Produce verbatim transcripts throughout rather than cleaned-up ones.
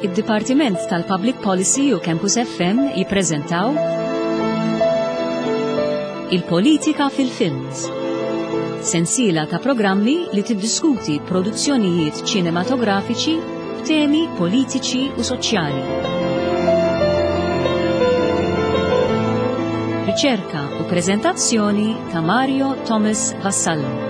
Id-Dipartiment tal-Public Policy u Campus F M jippreżentaw Il-Politika fil-Films. Sensiela ta' programmi li tiddiskuti produzzjonijiet ċinematografiċi b'temi politiċi u soċjali. Riċerka u preżentazzjoni ta' Mario Thomas Vassallo.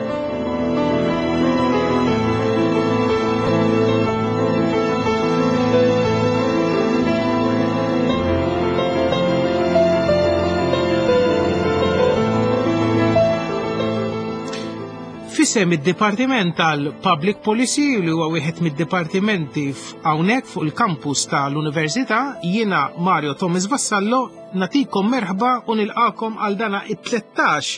F'isem id-Dipartiment tal-Public Policy, li huwa wieħed mid-dipartimenti hawnhekk fuq il-kampus tal-Università, jiena Mario Thomas Vassallo nagħtikom merħba u nilqakom għal dana it-tlettax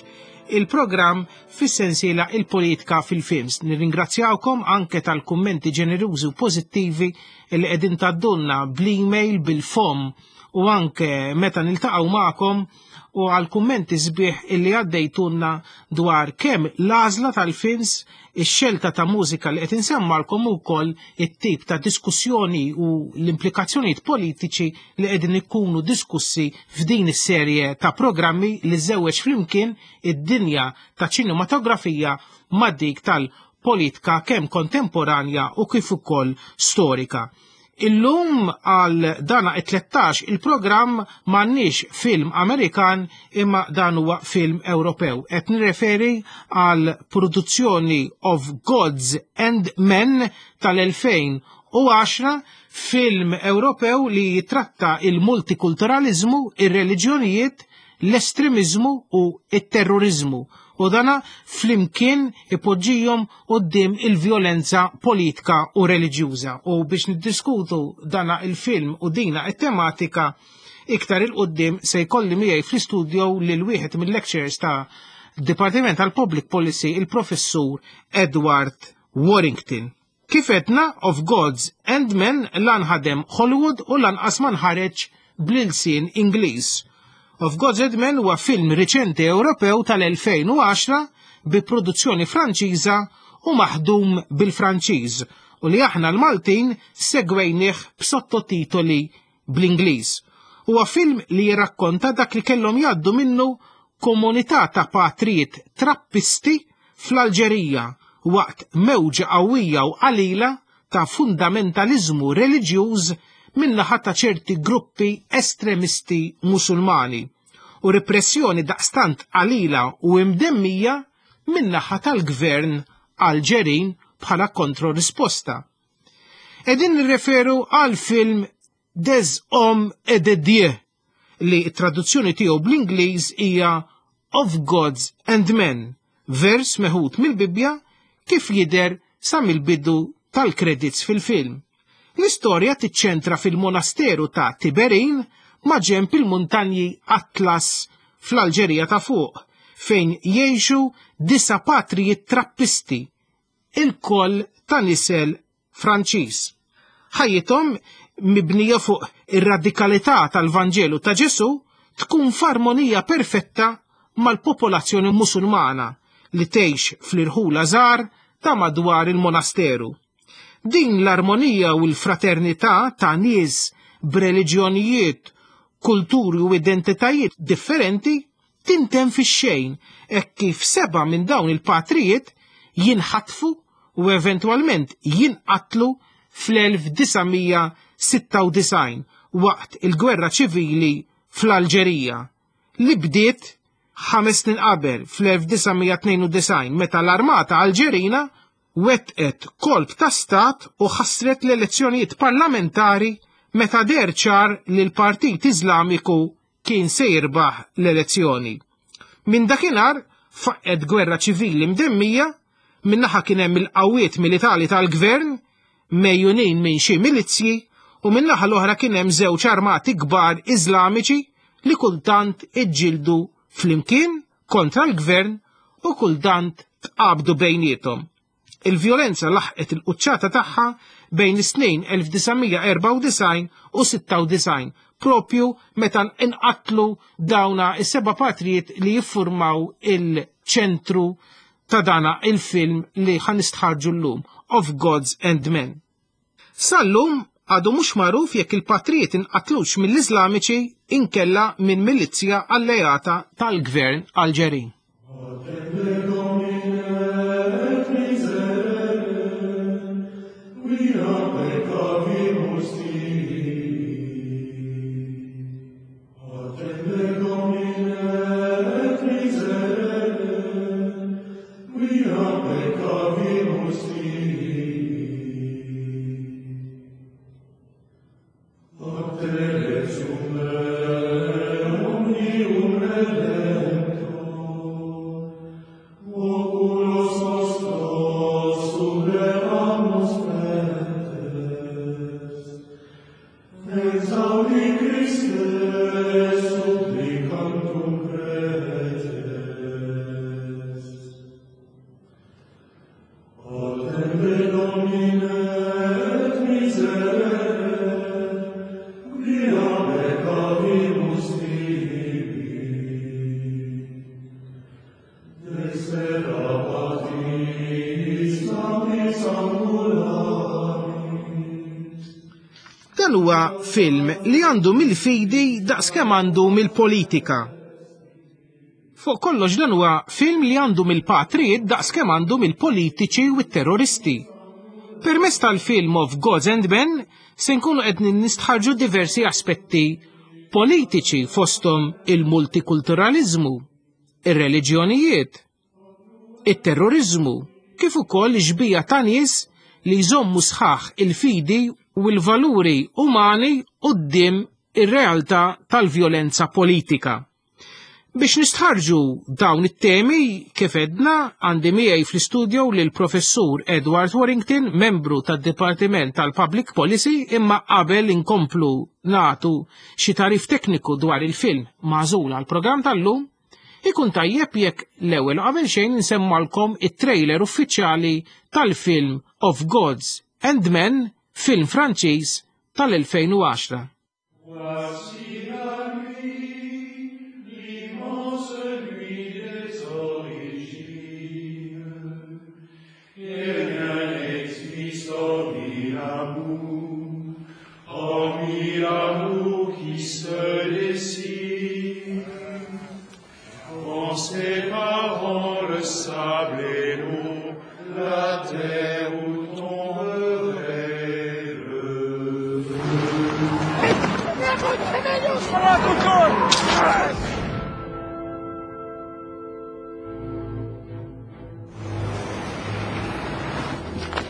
il-programm fis-sensiela Il-Politika fil-Films. Nirringrazzjawkom anke tal-kummenti ġenerużi u pożittivi li qegħdin tgħaddulna bl-email, bil-fom u anke meta niltaqgħu magħkom, u għal kummenti sbieħ illi għaddejtulna dwar kemm l-għażla tal-films, ix-xelta ta' mużika li qed insemmalkom, ukoll it-tip ta' diskussjoni u l-implikazzjonijiet politiċi li qegħdin ikunu diskussi f'din is-serje ta' programmi li żewweġ flimkien id-dinja ta' ċinematografija ma' dik tal-politika, kemm kontemporanja u kif ukoll storika. Illum għal dana it-tlettax il-programm m'għandniex film Amerikan, imma dan huwa film Ewropew. Qed nirreferi għal produzzjoni Of Gods and Men tal-elfejn u għaxra, film Ewropew li jitratta il-multikulturalizmu, ir-reliġjonijiet, l-estremizmu u il-terrorizmu, u dana flimkien ipoġġihom quddiem il-vjolenza politika u reliġjuża. U biex niddiskutu dana il-film u dina it-tematika iktar 'il quddiem, se jkolli miegħi fl-istudio lil wieħed mill-lecturers ta' Dipartiment tal-Public Policy, il-Professur Edward Warrington. Kif għedna, Of Gods and Men la nħadem Hollywood u lanqas ma nħareġ bl-ilsien Ingliż. Of Gods and Men huwa film riċenti Ewropew tal-elfejn u għaxra bi produzzjoni Franċiża u maħdum bil-Franċiż u li aħna l-Maltin segwejnih b'sottotitoli bl-Ingliż. Huwa film li jirrakkonta dak li kellhom jgħaddu minnu komunità ta' patrijiet trappisti fl-Alġerija waqt mewġa qawwija u qalila ta' fundamentalizmu reliġjuż min-naħa ta' ċerti gruppi estremisti Musulmani u repressjoni daqstant qalila u imdemmija min-naħa tal-gvern Alġerin bħala kontrorisposta. Qegħdin nirreferu għal film Des Hommes et des Dieux, li traduzzjoni tiegħu bl-Ingliż hija Of Gods and Men, vers meħud mill-Bibbja kif jidher sa mill-bidu tal-credits fil-film. L-istorja tiċċentra fil-monasteru ta' Tiberin ma' ġemp il-muntanji Atlas fl-Alġerija ta' fuq, fejn jgħixu disa' patrijiet trappisti, il-koll ta' nisel Franċiż. Ħajjithom, mibnija fuq ir-radikalità tal-Vanġelu ta' Ġesu, tkun f'armonija perfetta mal-popolazzjoni Musulmana li tgħix fl-irħula żgħar ta' madwar il-monasteru. Din l-armonija u l-fraternità ta' nies b'reliġjonijiet, kulturi u identitajiet differenti tintemm fix-xejn hekk kif seba' minn dawn il-patrijiet jinħatfu u eventwalment jinqatlu fl-elf disa' mija sitta u disgħin waqt il-gwerra ċivili fl-Alġerija li bdiet ħames snin qabel fl-elf disa' mija tnejn u disgħin, meta l-armata Alġerina wetqet kolp ta' stat u ħassret l-elezzjonijiet parlamentari meta deher ċar li l-Partit Iżlamiku kien se jirbaħ l-elezzjoni. Minn dakinhar faqqet gwerra ċivili mdemmija. Min-naħa kien hemm il-qawwiet militari tal-gvern megħjunin minn xi milizzji u min-naħa l-oħra kien hemm żewġ armati kbar Iżlamiċi li kultant iġġieldu flimkien kontra l-gvern u kultant tqabdu bejniethom. Il-vjolenza laħqet il-quċċata tagħha bejn is-snin elf disa' mija erbgħa u disgħin u sitta u disgħin, propju meta inqatlu dawna is-seba' patrijiet li jiffurmaw il-ċentru ta' dana il-film li ħa nistħarrġu llum, Of Gods and Men. Sallum Għadu mhux magħruf jekk il-patrijiet inqatlux mill-Iżlamiċi inkella minn milizzja alleata tal-gvern Alġerin. Dan huwa film li għandu mill-fidi daqskemm għandu mill-politika. Fuq kollox dan huwa film li għandu mill-patrijiet daqskemm għandu mill-politiċi u t-terroristi. Permezz tal-film of Gods and Men se nkunu qed nistħarġu diversi aspetti politiċi fosthom il-multikulturalizmu, ir-reliġjonijiet, it-terrorizmu, kif ukoll xbija ta' nies li jżommu sħaħ il-fidi u l-valuri umani quddiem ir-realtà tal-vjolenza politika. Biex nistħarġu dawn it-temi, kif edna, għandi miegħi fl-istudio lil professur Edward Warrington, membru tad-Dipartiment tal-Public Policy, imma qabel inkomplu nagħtu xi tarif tekniku dwar il-film magħżul għall-programm tal-lum, ikun tajjeb jekk l-ewwel qabel xejn insemmalkom it-trailer uffiċjali tal-film Of Gods and Men, film Franċiż tal-elfejn u għaxra.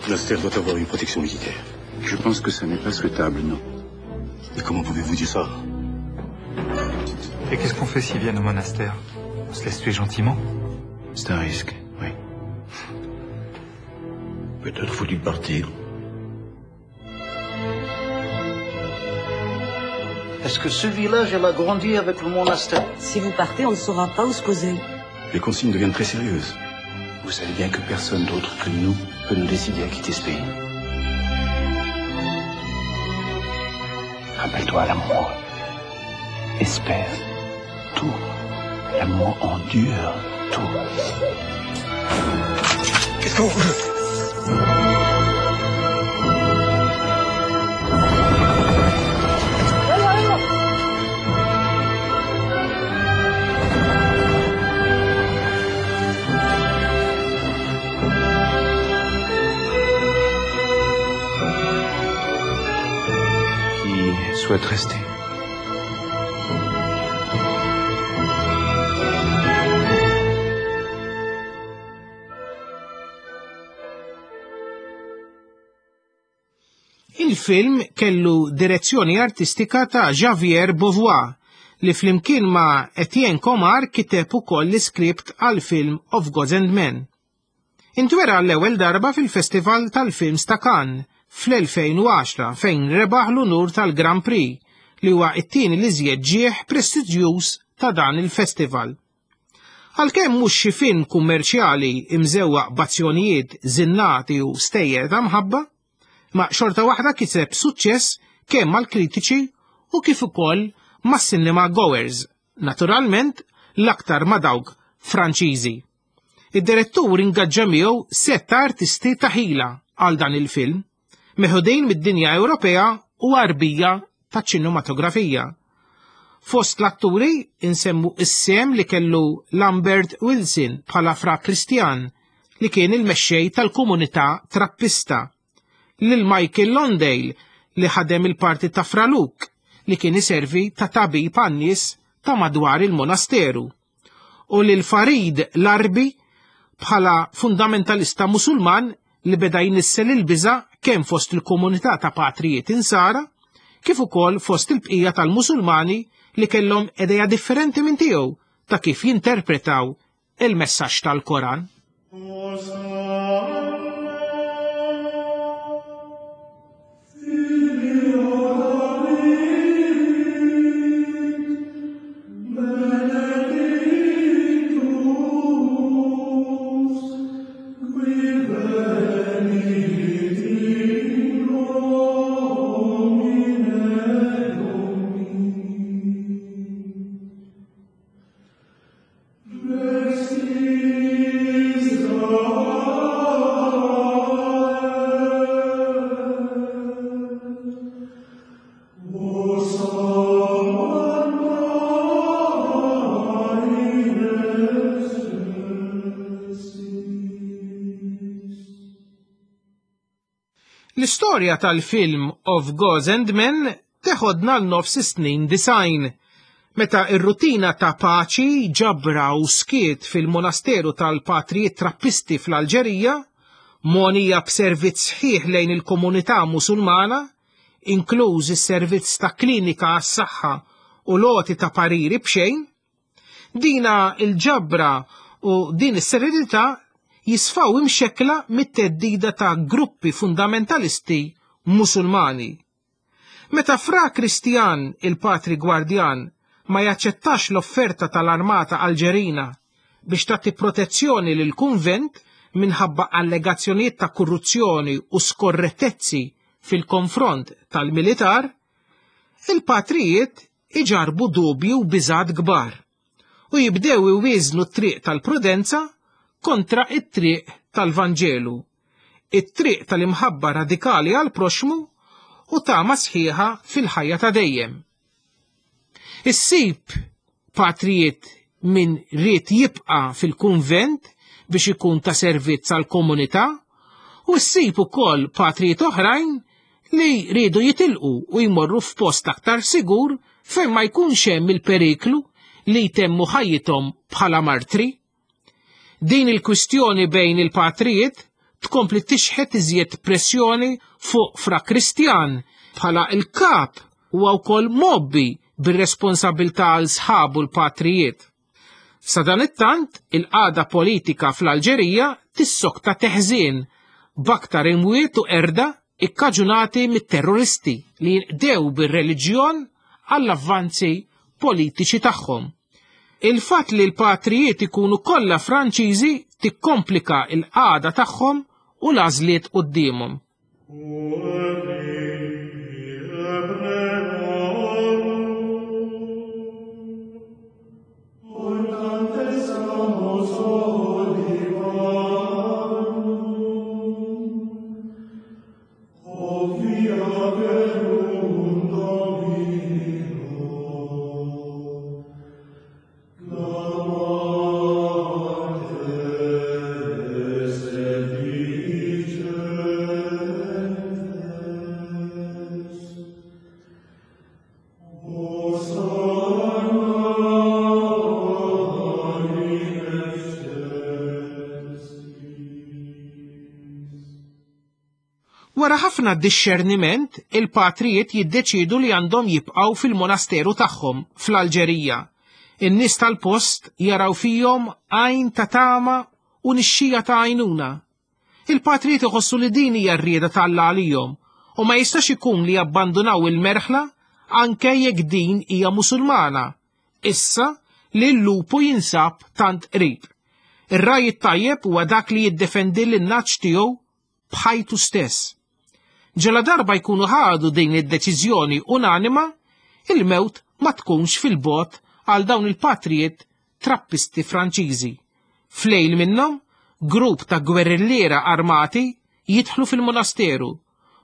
Le monastère doit avoir une protection militaire. Je pense que ça n'est pas souhaitable, non. Mais comment pouvez-vous dire ça? Et qu'est-ce qu'on fait s'ils viennent au monastère? On se laisse tuer gentiment? C'est un risque, oui. Peut-être faut-il partir. Est-ce que ce village, elle a grandi avec le monastère? Si vous partez, on ne saura pas où se poser. Les consignes deviennent très sérieuses. Vous savez bien que personne d'autre que nous peut nous décider à quitter ce pays. Rappelle-toi, l'amour espère tout. L'amour endure tout. Qu'est-ce qu'on veut? Souhaite rester. Il-film kellu direzzjoni artistika ta' Xavier Beauvois li flimkien ma' Etienne Comar kiteb ukoll l-iskript għal film Of Gods and Men. Intwera l-ewwel darba fil-Festival tal-Films ta' Cannes fl-elfejn u għaxra fejn rebaħ l-unur tal-Grand Prix li huwa t-tieni li żjed ġieħ prestiġjuż ta' dan il-festival. Għalkemm mhux xi film kummerċjali imżewwaq b'azzjonijiet zinnati u stejjer ta' mħabba, ma xorta waħda kiseb suċċess kemm mal-kritiċi u kif ukoll mas-cinema goers, naturalment l-aktar ma' dawk Franċiżi. Id-direttur ingaġġa miegħu sett ta' artisti ta' ħila għal dan il-film, meħudin mid-dinja Ewropea u Għarbija taċ-ċinematografija. Fost l-atturi insemmu is-sem li kellu Lambert Wilson bħala Fra Kristjan li kien il-mexxej tal-komunità Trappista, lil Michael Londale li ħadem il-parti ta' Fra Luke li kien iservi ta' tabib għan-nies ta' madwar il-monasteru, u lil Farid Larbi bħala fundamentalista Musulman li beda jnissel il-biża' kemm fost il-komunità ta' patrijiet insara kif ukoll fost il-bqija tal-Musulmani li kellhom idea differenti minn tiegħu ta' kif jinterpretaw il-messaġġ tal-Koran. L-istorja tal-film Of Gods and Men teħodna l-nofs snin design, meta ir-rutina ta' paċi, ġabra u skiet fil-monasteru tal-patrijiet Trappisti fl-Alġerija, monija b'servizz sħiħ lejn il-komunità Musulmana, inkluż is-servizz ta' klinika għas-saħħa u loti ta' pariri b'xejn, dina il-ġabra u din is-serenità jisfaw imxekla mit-teddida ta' gruppi fundamentalisti Musulmani. Meta Fra Kristjan, il-patri gwardjan, ma jaċċettax l-offerta tal-armata Alġerina biex tagħti protezzjoni lil kunvent minħabba allegazzjonijiet ta' korruzzjoni u skorrettezzi fil-konfront tal-militar, il-patrijiet iġarbu dubju u biżgħat kbar u jibdew iwieżnu t-triq tal-prudenza kontra it-triq tal-Vanġelu, it-triq tal-imħabba radikali għal proxmu u tama sħiħa fil-ħajja ta' dejjem. Issib patrijiet min ried jibqa' fil-kunvent biex ikun ta' servizz għal komunità u ssib ukoll patrijiet oħrajn li riedu jitilqu u jmorru f'post aktar sigur fejn ma jkunx hemm il-periklu li jtemmu ħajjithom bħala martri. Din il-kwistjoni bejn il-patrijiet tkompli tixħet iżjed pressjoni fuq Fra Kristjan bħala il-kap u wkoll mobbi bir-responsabilità għal sħabu l-patrijiet. Sadanittant, il-qagħda politika fl-Alġerija tissokta teħżien b'aktar imwiet u erda ikkaġunati mit-terroristi li jinqdew bir-reliġjon għall-avvanzi politiċi tagħhom. Il-fatt li l-patrijiet ikunu kollha Franċiżi tikkomplika l-qagħda tagħhom u l-għażliet quddiemhom. Wara ħafna dixxerniment, il-patrijiet jiddeċidu li għandhom jibqgħu fil-monasteru tagħhom fl-Alġerija. In-nies tal-post jaraw fihom għajn ta' tama u nixxija ta' għajnuna. Il-patrijiet iħossu li din hija r-rieda ta' Alla għalihom u ma jistax ikun li jabbandunaw il-merħla anke jekk din hija Musulmana, issa li l-lupu jinsab tant qrib. Ir-raj it-tajjeb huwa dak li jiddefendi lin-naċ tiegħu b'ħajtu stess. Ġela darba jkunu ħadu din id-deċiżjoni unanima, il-mewt ma tkunx fil-bot għal dawn il-patrijiet trappisti Franċiżi. Flejl minnhom, grupp ta' gwerrilliera armati jidħlu fil-monasteru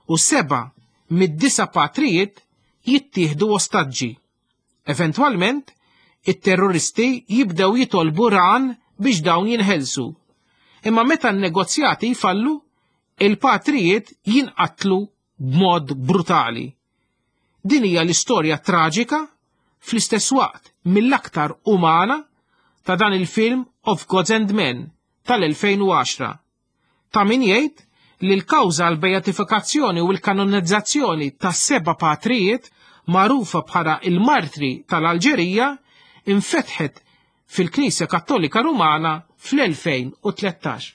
u seba' mid-disa' patrijiet jittieħdu ostaġġi. Eventwalment, it-terroristi jibdew jitolbu ran biex dawn jinħelsu. Imma meta n-negozjati jfallu, il-patrijiet jinqatlu b'mod brutali. Din hija l-istorja traġika fl-istess waqt mill-aktar umana ta' dan il-film Of Gods and Men tal-elfejn u għaxra. Ta' min jgħid li l-kawża għal beatifikazzjoni u l-kanonizzazzjoni ta' seba' patrijiet magħrufa bħala il-martri tal-Alġerija infetħet fil-Knisja Kattolika Rumana fl-elfejn u tlettax.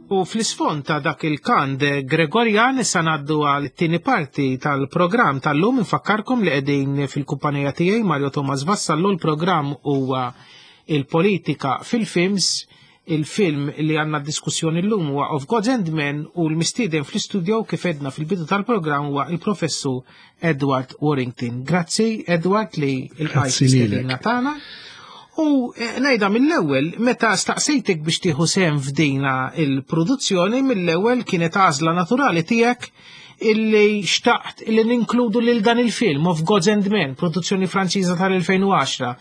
U fl-isfond ta' dak il-kant Gregorjan issa ngħaddu għal tieni parti tal-programm tal-lum. Infakkarkom li qegħdin fil-kumpanija tiegħi Mario Thomas Vassallo. L-programm huwa il-politika fil-films. Il-film li għandna diskussjoni llum huwa Of Gods and Men u l-mistieden fl-istudio kif edna fil-bidu tal-programm huwa il-professur Edward Warrington. Grazzi Edward li l-qajt istedina tagħna. U ngħidha mill-ewwel, meta staqsejtek biex tieħu sehem f'dina il-produzzjoni, mill-ewwel kienet għażla naturali tiegħek illi xtaqt illi ninkludu lil dan il-film Of Gods and Men, produzzjoni Franċiża tal-elfejn u għaxra,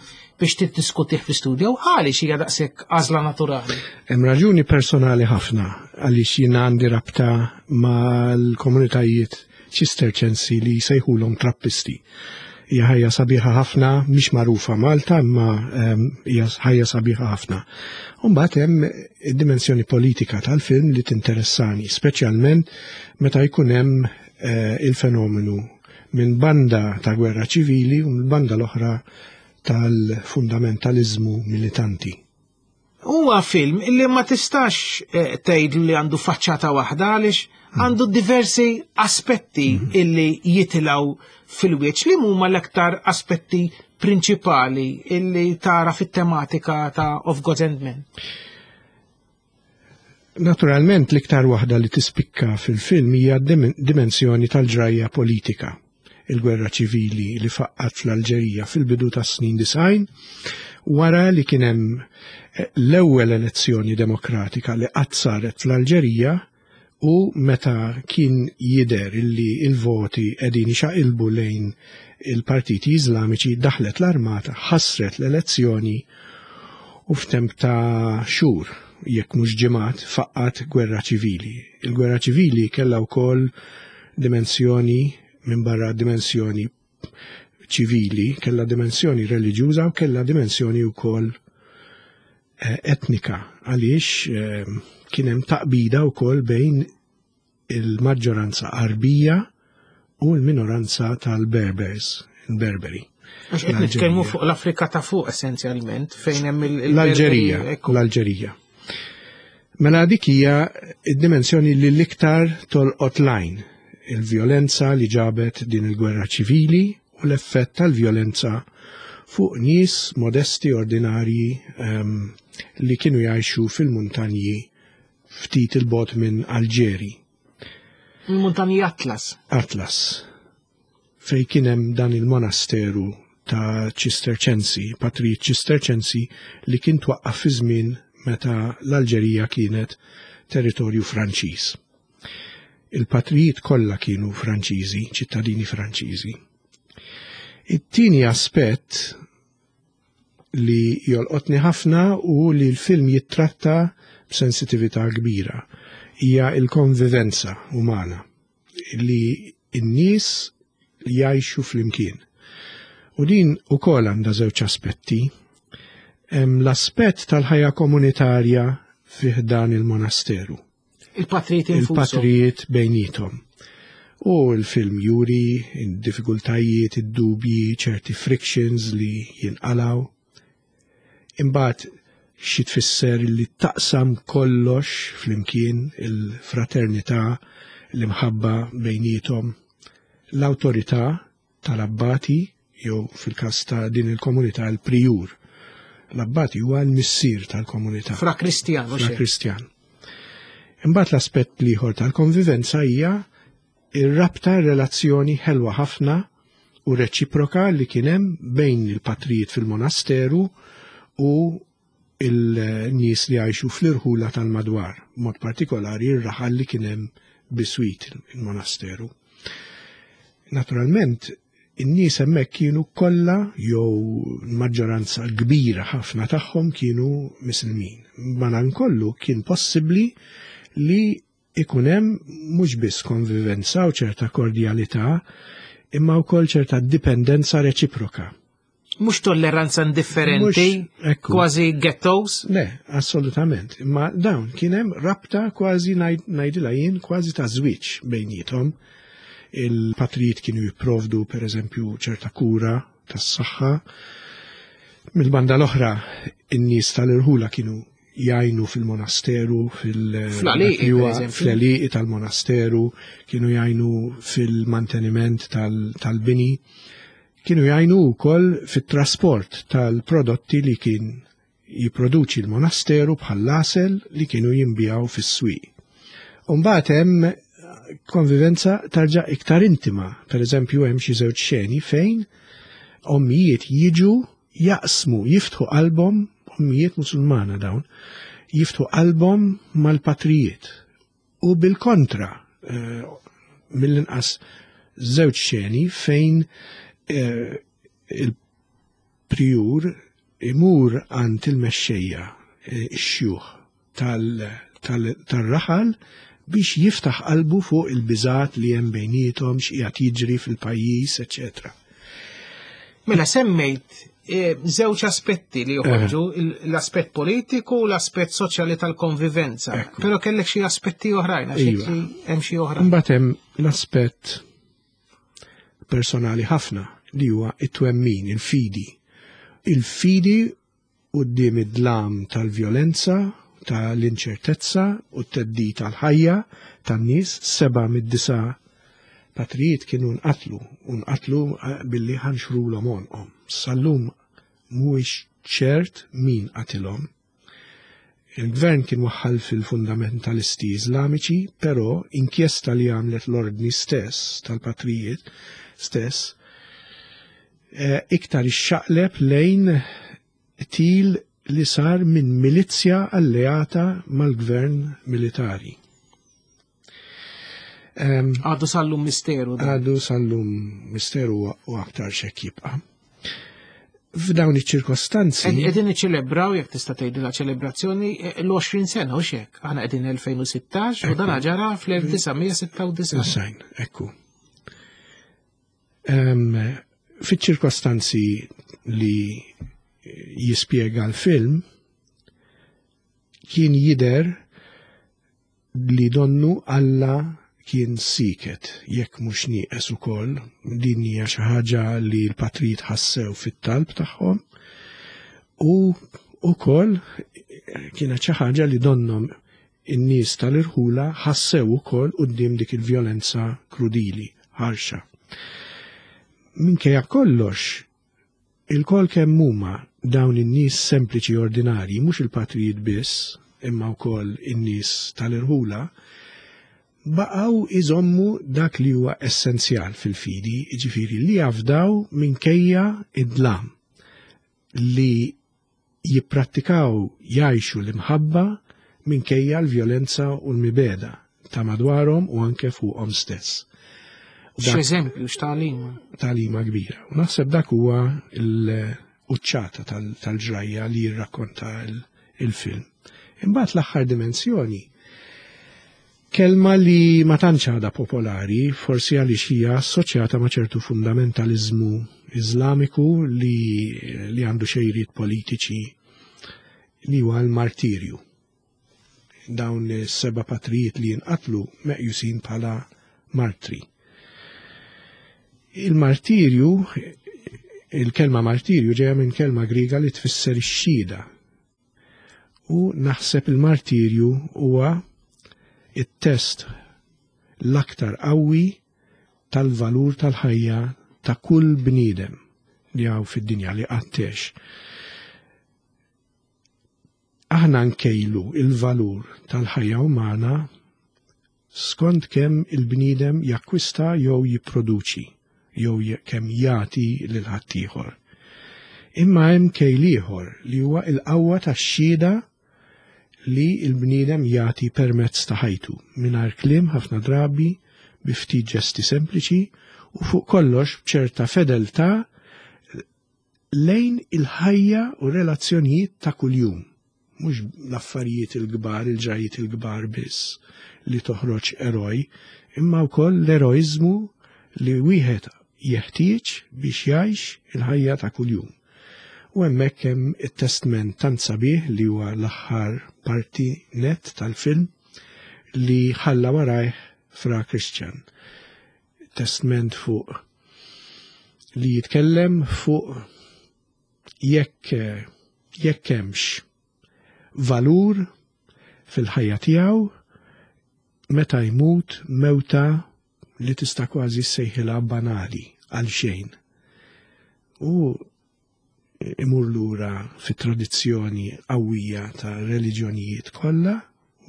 biex tiddiskutih fl-istudio. Għaliex hija daqshekk għażla naturali? Hemm raġuni personali ħafna għaliex jiena għandi rabta mal-komunitajiet ċisterċensi li jsejħulhom trappisti. Hija ħajja sabiħa ħafna, mhix magħrufa Malta, imma hija ħajja sabiħa ħafna. U mbagħad hemm id-dimensjoni politika tal-film li tinteressani, speċjalment meta jkun hemm il-fenomenu minn banda ta' gwerra ċivili u minn banda l-oħra tal-fundamentalizmu militanti. Huwa film li ma tistax tgħid li għandu faċċata waħda għaliex għandu diversi aspetti illi jitilgħu fil-wieċ. Li huma l-aktar aspetti prinċipali illi tara fit-tematika ta' Of Gods and Men? Naturalment l-iktar waħda li tispikka fil-film hija dimensjoni tal-ġrajja politika, il-gwerra ċivili li faqqat fl-Alġerija fil-bidu tas-snin disgħin, wara li kien hemm l-ewwel elezzjoni demokratika li qatt saret fl-Alġerija u meta kien jidher illi il-voti qegħdin ixaqilbu lejn il-partiti Iżlamiċi, daħlet l-armata, ħassret l-elezzjoni u f'temp ta' xhur, jekk mhux ġimgħat, faqqat gwerra ċivili. Il-gwerra ċivili kellha wkoll dimensjoni minn barra dimensjoni ċivili, kellha dimensjoni reliġjuża u kellha dimensjoni wkoll eh, etnika, għaliex eh, kien hemm taqbida wkoll bejn il-maġġoranza Arbija u l-minoranza tal-Berbers, il-Berberi. Għax qed nitkellmu fuq l-Afrika ta' fuq essenzjalment, fejn hemm il- L-Alġerija, ekku. l-Alġerija. Mela dik hija id-dimensjoni li l-iktar tolqot lajn, il-vjolenza li ġabet din il-gwerra ċivili u l-effett tal-vjolenza fuq nies modesti ordinarji um, li kienu jgħixu fil-muntanji ftit il-bogħod minn Alġeri. Il-muntanji Atlas. Atlas, fej kien hemm dan il-monasteru ta' Ċisterċensi, patrijiet Ċisterċensi li kien twaqqaf fi żmien meta l-Alġerija kienet territorju Franċiż. Il-patrijiet kollha kienu Franċiżi, ċittadini Franċiżi. It-tieni aspett li jolqotni ħafna u li l-film jittratta b'sensitività kbira hija il-konvivenza umana li n-nies jgħixu flimkien. U din ukoll għandha żewġ aspetti. Hemm l-aspett tal-ħajja komunitarja fih dan il-monasteru. Il-patrijiet infushom. Il-patrijiet bejnietom. U l-film juri id-diffikultajiet, id-dubji, ċerti frictions li jinqalaw. Imbagħad xi tfisser li taqsam kollox flimkien, il-fraternità, l-imħabba bejnietom, l-awtorità tal-abbati, jew fil-każ ta' din il-komunità l-prijur. L-abbati huwa l-missier tal-komunità. Fra Kristjan, mhux Fra hekk? Kristjan. Imbagħad l-aspett l-ieħor tal-konvivenza hija ir-rabta, relazzjoni ħelwa ħafna u reċiproka li kien hemm bejn il-patrijiet fil-monasteru u il-nies li għajxu fl-irħula tal-madwar, mod partikolari ir-raħal li kien hemm biswit il-monasteru. Naturalment, in-nies hemmhekk kienu kollha jew maġġoranza kbira ħafna tagħhom kienu Misilmin. Madankollu kien possibbli li ikun hemm mhux biss konvivenza u ċerta kordjalità, imma wkoll ċerta dipendenza reċiproka. Mhux tolleranza indifferenti, Mhux, ekku. kważi ghettos. Le, assolutament. Imma dawn kien hemm rabta kważi ngħid- ngħidilha jien kważi ta' żwieġ bejnietom. Il-patrijiet kienu jipprovdu per eżempju ċerta kura tas-saħħa. Mill-banda l-oħra, in-nies tal-irħula kienu jgħinu fil-monasteru, fil- Fl-għalieqi, dak li huwa per eżempju. fl-għalieqi tal-monasteru, kienu jgħinu fil-manteniment tal- tal-bini, kienu jgħinu wkoll fit-trasport tal-prodotti li kien jipproduċi l-monasteru bħall-għasel li kienu jinbiegħu fis-swieq. Umbagħad hemm konvivenza tarġa' iktar intima. Per eżempju, hemm xi żewġ xeni fejn ommijiet jiġu jaqsmu, jiftħu qalbhom, ommijiet musulmana dawn, jiftħu qalbhom mal-patrijiet. U bil-kontra, eh, mill-inqas żewġ xeni fejn eh, il-prijur imur għand il-mexxejja, eh, ix-xjuħ tal- tal- tal-raħal biex jiftaħ qalbu fuq il-biżat li hemm bejnietom, x'qiegħed jiġri fil-pajjiż, eċetera. Mela semmejt eh, żewġ aspetti li joħorġu, il- l-aspett politiku u l-aspett soċjali tal-konvivenza. Ekku. Però kellek xi aspetti oħrajn, għax Iva. hekk hemm xi oħrajn. Imbagħad hemm l-aspett personali ħafna li huwa it-twemmin, il-fidi. Il-fidi quddiem id-dlam tal-vjolenza, tal-inċertezza u t-theddid tal-ħajja tan-nies, seba' mid-disa' patrijiet kienu nqatlu, u nqatlu eh, billi ħanxrulhom għonqhom. Sal-lum mhuwiex ċert min qatilhom. Il-gvern kien waħħal fil-fundamentalisti iżlamiċi, però inkjesta li għamlet l-ordni stess tal-patrijiet stess eh, iktar ixxaqleb lejn til li sar minn milizja alleata mal-gvern militari. Għadu sal-lum misteru. Għadu sal-lum misteru u aktar xek jibqa'. F'dawn iċ-ċirkostanzi. Qegħdin niċċelebraw, jekk tista' tgħidilha ċelebrazzjoni, l-għoxrin sena u xek. Aħna qegħdin elfejn u sittax u dan ġara fl-elf disa' mija sitta u disgħin. Sajn, ekku. Fiċ-ċirkostanzi li jispjega l-film, kien jidher li donnu Alla kien siket, jekk mhux nieqes ukoll, din hija xi ħaġa li l-patrijiet ħassew fit-talb tagħhom, u ukoll kienet xi ħaġa li donhom in-nies tal-irħula ħassew ukoll quddiem dik il-vjolenza krudili, ħarxa. Minkejja kollox, il-kol kemm huma dawn in-nies sempliċi ordinarji, mhux il-patrijiet biss, imma wkoll in-nies tal-irħula, baqgħu iżommu dak li huwa essenzjal fil-fidi, jiġifieri li jafdaw minkejja id-dlam, li jipprattikaw jgħixu l-imħabba minkejja l-vjolenza u l-mibeda ta' madwarhom u anke fuqhom stess. X'eżempju, x'tagħlima? Tagħlima kbira. U naħseb dak huwa l-quċċata tal-ġrajja li jirrakkonta il-film. Imbagħad l-aħħar dimensjoni, kelma li ma tantx għadha popolari, forsi għaliex hija assoċjata ma' ċertu fundamentaliżmu Iżlamiku li, li għandu xejriet politiċi, li huwa l-martirju. Dawn is-seba' patrijiet li jinqatlu meqjusin bħala martri. Il-martirju, il-kelma martirju ġejja minn kelma Griega li tfisser ix-xhieda. U naħseb il-martirju huwa it-test l-aktar qawwi tal-valur tal-ħajja ta' kull bniedem li hawn fid-dinja li qattiex. Aħna nkejlu il-valur tal-ħajja umana skont kemm il-bniedem jakkwista jew jipproduċi, jew kemm jagħti lil ħaddieħor. Imma hemm kejl ieħor li huwa l-qawwa tax-xhieda li l-bniedem jagħti permezz ta' ħajtu, mingħajr kliem ħafna drabi, bi ftit ġesti sempliċi u fuq kollox b'ċerta fedeltà lejn il-ħajja u relazzjonijiet ta' kuljum, mhux l-affarijiet il-kbar, il-ġrajiet il-kbar biss li toħroġ eroj, imma wkoll l-eroiżmu li wieħed jeħtieġ biex jgħix il-ħajja ta' kuljum. U hemmhekk hemm it-testment tant sabiħ li huwa l-aħħar parti net tal-film li ħalla warajh Fra Christian. Testment fuq li jitkellem fuq jekk jekk hemmx valur fil-ħajja tiegħu meta jmut mewta li tista' kważi ssejħilha banali għal xejn. U imur lura fit-tradizzjoni qawwija ta' reliġjonijiet kollha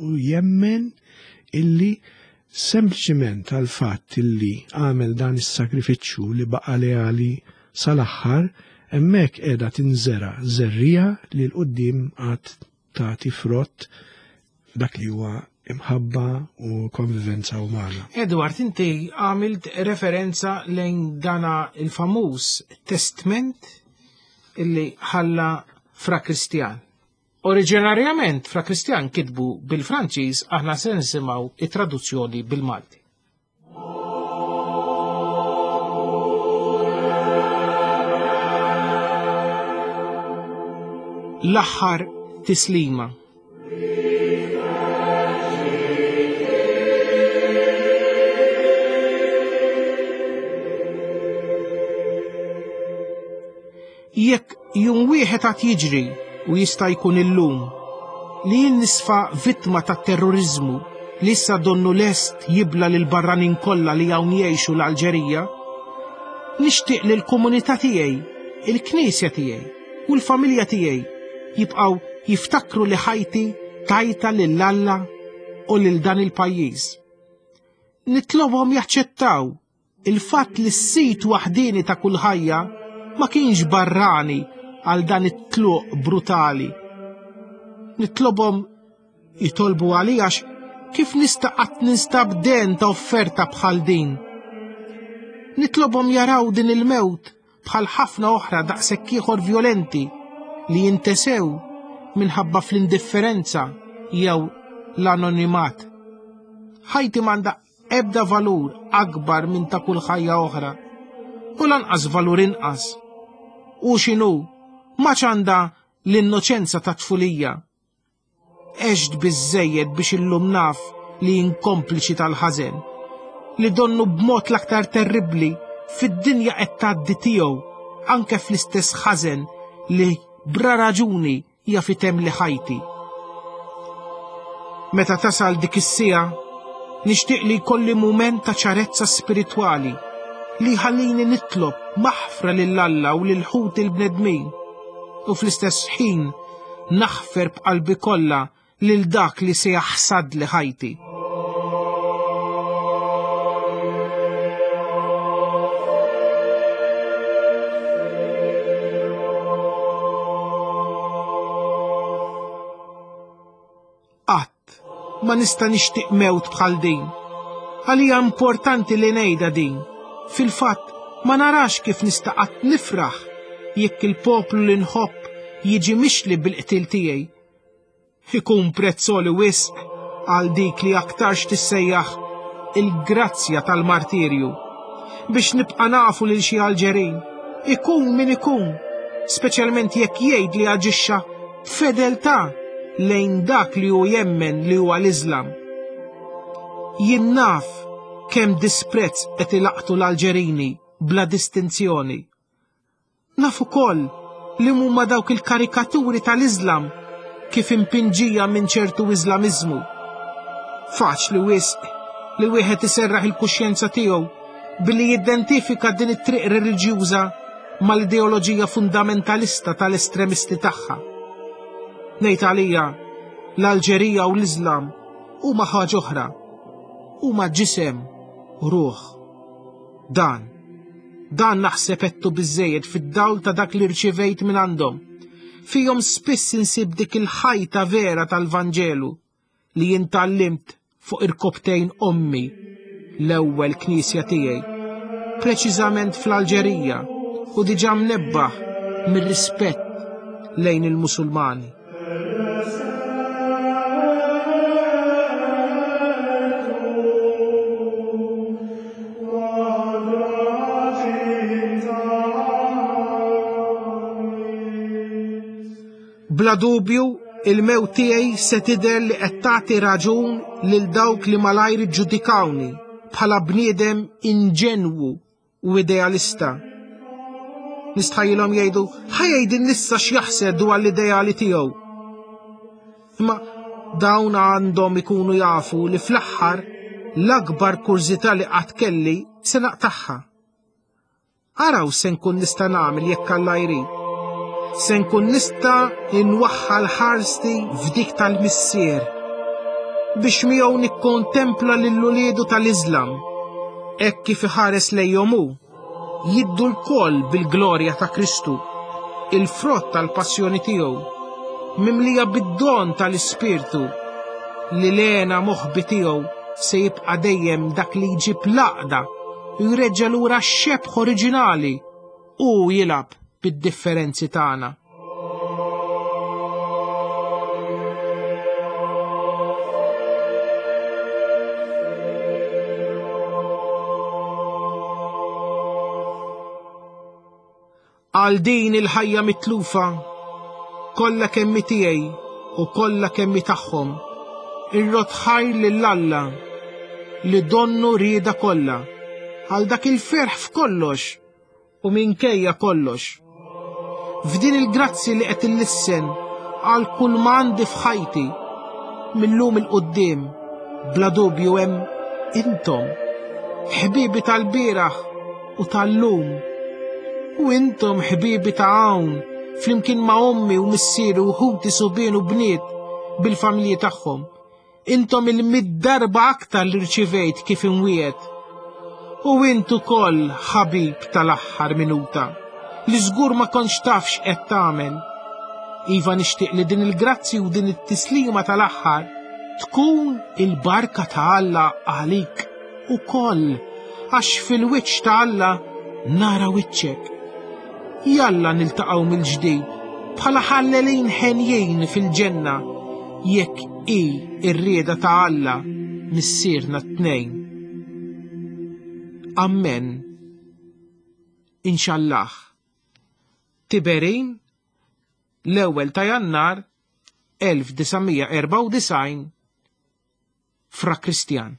u jemmen illi sempliċiment għal fatt illi għamel dan is-sagrifiċċju li baqa' leali sal-aħħar, hemmhekk qiegħda tinżera żerrija li l quddiem għad tagħti frott dak li huwa imħabba u konvivenza umana. Edward, inti għamilt referenza lejn dana il-famuż testament illi ħalla Fra Kristjan. Oriġinarjament Fra Kristjan kitbu bil-Franċiż, aħna se nisimgħu it-traduzzjoni bil-Malti. L-aħħar tislima. Jekk jum wieħed għad jiġri u jista' jkun illum li jien nisfa vittma ta' terrorizmu li issa donnu lest jibla lil barranin kollha li hawn jgħixu l-Alġerija, nixtieq li l-komunità tiegħi, il-knisja tiegħi u l-familja tiegħi jibqgħu jiftakru li ħajti tajta lil Alla u lil dan il-pajjiż. Nitlobhom jaċċettaw il-fatt li s-sit waħdini ta' kull ħajja ma kienx barrani għal dan it-tluq brutali. Nitlobhom jitolbu għalija għax Kif nista' qatt ninstab den ta' offerta bħal din? Nitlobhom jaraw din il-mewt bħal ħafna oħra daqshekk ieħor vjolenti li jintesew minħabba fl-indifferenza jew l-anonimat. Ħajti m'għandha ebda valur akbar minn ta' kull ħajja oħra, u lanqas valur inqas. U x'inhu, ma għandha l-innoċenza ta' tfulija. Għext biżżejjed biex illum naf li jien kompliċi tal-ħażen, li donnu b'mod l-aktar terribbli fid-dinja qed tgħaddi tiegħu anke fl-istess ħażen li bra raġuni jaf itemli ħajti. Meta tasal dik is-siegħa, nixtieq li jkolli mument ta' ċarezza spiritwali li jħallini nitlob maħfra lil Alla u lil ħut il-bnedmin, u fl-istess ħin naħfer b'qalbi kollha lil dak li se jaħsad li ħajti. Qatt ma nista' nixtieq mewt bħal din. Għalija importanti li ngħidha din. Fil-fatt ma narax kif nista' qatt nifraħ jekk il-poplu li nħobb jiġi mixli bil-qtil tiegħi. Ikun prezzoli wisq għal dik li aktarx tissejjaħ il-grazzja tal-martirju. Biex nibqa' nafu lil xi Alġerin, ikun min ikun, speċjalment jekk jgħid li aġixxa b'fedeltà lejn dak li hu jemmen li huwa l-Iżlam. Jien naf kemm disprezz qed ilaqtu l-Alġerini bla distinzjoni. Naf ukoll li huma dawk il-karikaturi tal-Iżlam kif impinġija minn ċertu Iżlamiżmu. Faċli wisq li wieħed iserraħ il-kuxjenza tiegħu billi jidentifika din it-triq reliġjuża mal-ideoloġija fundamentalista tal-estremisti tagħha. Ngħid għalija, l-Alġerija u l-Iżlam huma ħaġa oħra, huma ġisem u ruħ. Dan, dan naħseb għedtu biżżejjed fid-dawl ta' dak li rċivejt minn għandhom. Fihom spiss insib dik il-ħajta vera tal-Vanġelu li jien tgħallimt fuq irkobtejn ommi, l-ewwel knisja tiegħi, preċiżament fl-Alġerija, u diġà mnebbaħ mir-rispett lejn il-Musulmani. Bla dubju, il-mewt tiegħi se tidher li qed tagħti raġun lil dawk li malajr iġġudikawni bħala bniedem inġenwu u idealista. Nistħajjilhom jgħidu, ħa jgħidilna issa x'jaħseb dwar l-ideali tiegħu. Imma dawn għandhom ikunu jafu li fl-aħħar l-akbar kurżità li qatt kelli se naqtagħha. Araw se nkun nista' nagħmel jekk Alla jrid. Se nkun nista' nwaħħal ħarsti f'dik tal-Missier biex miegħu nikkontempla lil uliedu tal-Iżlam, hekk kif iħares lejhom hu, jiddu lkoll bil-glorja ta' Kristu, il-frott tal-passjoni tiegħu, mimlija bid-don tal-Ispirtu li l-għena moħbi tiegħu se jibqa' dejjem dak li jġib l-għaqda u jreġġa' lura x-xebh oriġinali u jilgħab bid-differenzi tagħna. Għal din il-ħajja mitlufa, kollha kemm tiegħi u kollha kemm tagħhom, irrod ħajr lil Alla li donnu rieda kollha, għal dak il-ferħ f'kollox u minkejja kollox. F'din il-grazzi li qed illissen għal kull ma għandi f'ħajti, millum il-quddiem, bla dubju hemm intom, ħbibi tal-bieraħ u tal-lum, u intom ħbibi ta' hawn, flimkien ma' ommi u missieri u ħuti subien u bniet bil-familji tagħhom. Intom il-mid darba aktar li rċivejt kif imwiet. U int ukoll ħabib tal-aħħar minuta, li żgur ma kontx taf x'qed tagħmel. Iva nixtieq li din il-grazzi u din it-tislima tal-aħħar Tkun il-barka ta' Alla għalik ukoll, għax fil-wiċċ ta' Alla nara wiċċek. Jalla niltaqgħu mill-ġdid bħala ħallelin ħenjin fil-ġenna, jekk hi r-rieda ta' Alla missierna t-tnejn. Amen. Inxallah. Tiberin, l-ewwel ta' Jannar elf disa' mija erbgħa u disgħin, Fra Kristjan.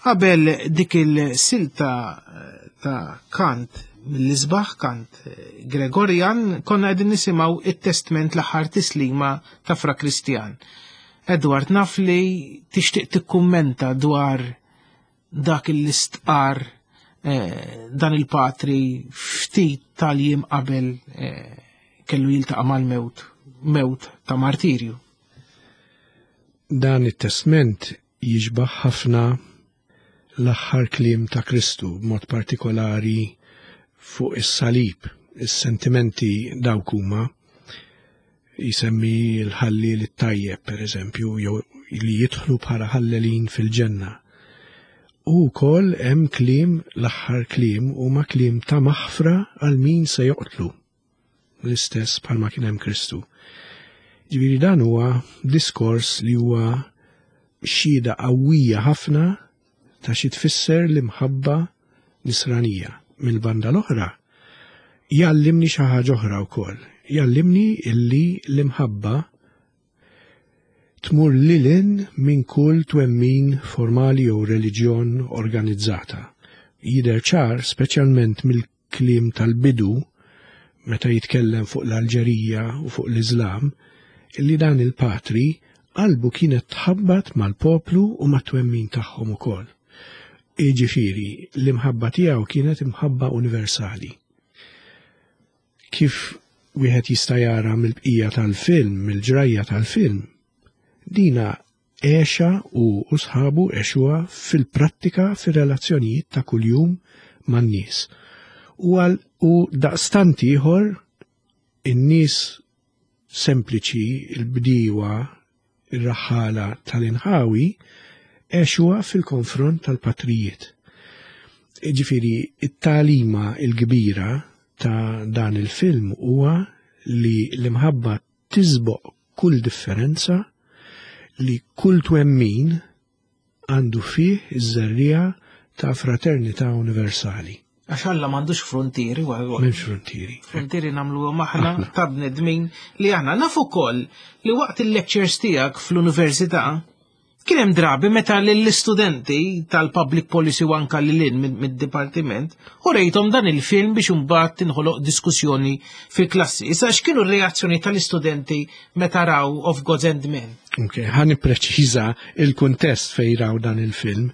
Qabel dik il-silta ta' Kant, mill-isbaħ Kant Gregorian, konna qegħdin nisimgħu it-testment l-aħħar tislima ta' Fra Kristjan. Edward, naf li tixtieq tikkummenta dwar dak il-istqar eh, dan il-patri ftit tal-jiem qabel eh, kellu jiltaqa' mal-mewt, mewt ta' martirju. Dan it-testment jiġbaħ ħafna l-aħħar kliem ta' Kristu, b'mod partikolari fuq is-salib, is-sentimenti dawk huma jisemmi l-ħalli l-tajjeb, per eżempju, jew li jidħlu bħala ħallelin fil-ġenna. U wkoll hemm kliem, l-aħħar kliem huma kliem ta' maħfra għal min se joqtlu. L-istess bħalma kien hemm Kristu. Ġifieri dan huwa diskors li huwa xhieda qawwija ħafna ta' xi tfisser l-imħabba nisranija. Mill-banda l-oħra jgħallimni xi ħaġa oħra wkoll. Jgħallimni illi l-imħabba tmur lilin minn kull twemmin formali jew reliġjon organizzata. Jidher ċar, speċjalment mill-kliem tal-bidu, meta jitkellem fuq l-Alġerija u fuq l-Iżlam, illi dan il-patri qalbu kienet tħabbat mal-poplu u mat-twemmin tagħhom ukoll. Jiġifieri, l-imħabba tiegħu kienet imħabba universali. Kif wieħed jista' jara mill-bqija tal-film, mill-ġrajja tal-film, dina għexha u u sħabu għexuha fil-prattika fir-relazzjonijiet ta' kuljum man-nies. U għal u daqstant ieħor in-nies sempliċi, il-bdiewa, ir-raħħala tal-inħawi, għexuha fil-konfront tal-patrijiet. Ġifieri, it-tagħlima il-kbira ta' dan il-film huwa li l-imħabba tisboq kull differenza, li kull twemmin għandu fih iż-żerriegħa ta' fraternità universali. Għax Alla m'għandux frontieri, wa- wa- M'hemmx frontieri. Frontieri nagħmluhom aħna ta' bnedmin li aħna nafu wkoll li waqt il-lectures tiegħek fl-università kien hemm drabi meta lill-istudenti tal-public policy u anka lil hinn mid-dipartiment u rejthom dan il-film biex imbagħad tinħoloq diskussjoni fil-klassi. Issa x'kienu r-reazzjoni tal-istudenti meta raw Of Gods and Men? Ok, ħa nippreċiża il-kuntest fej raw dan il-film.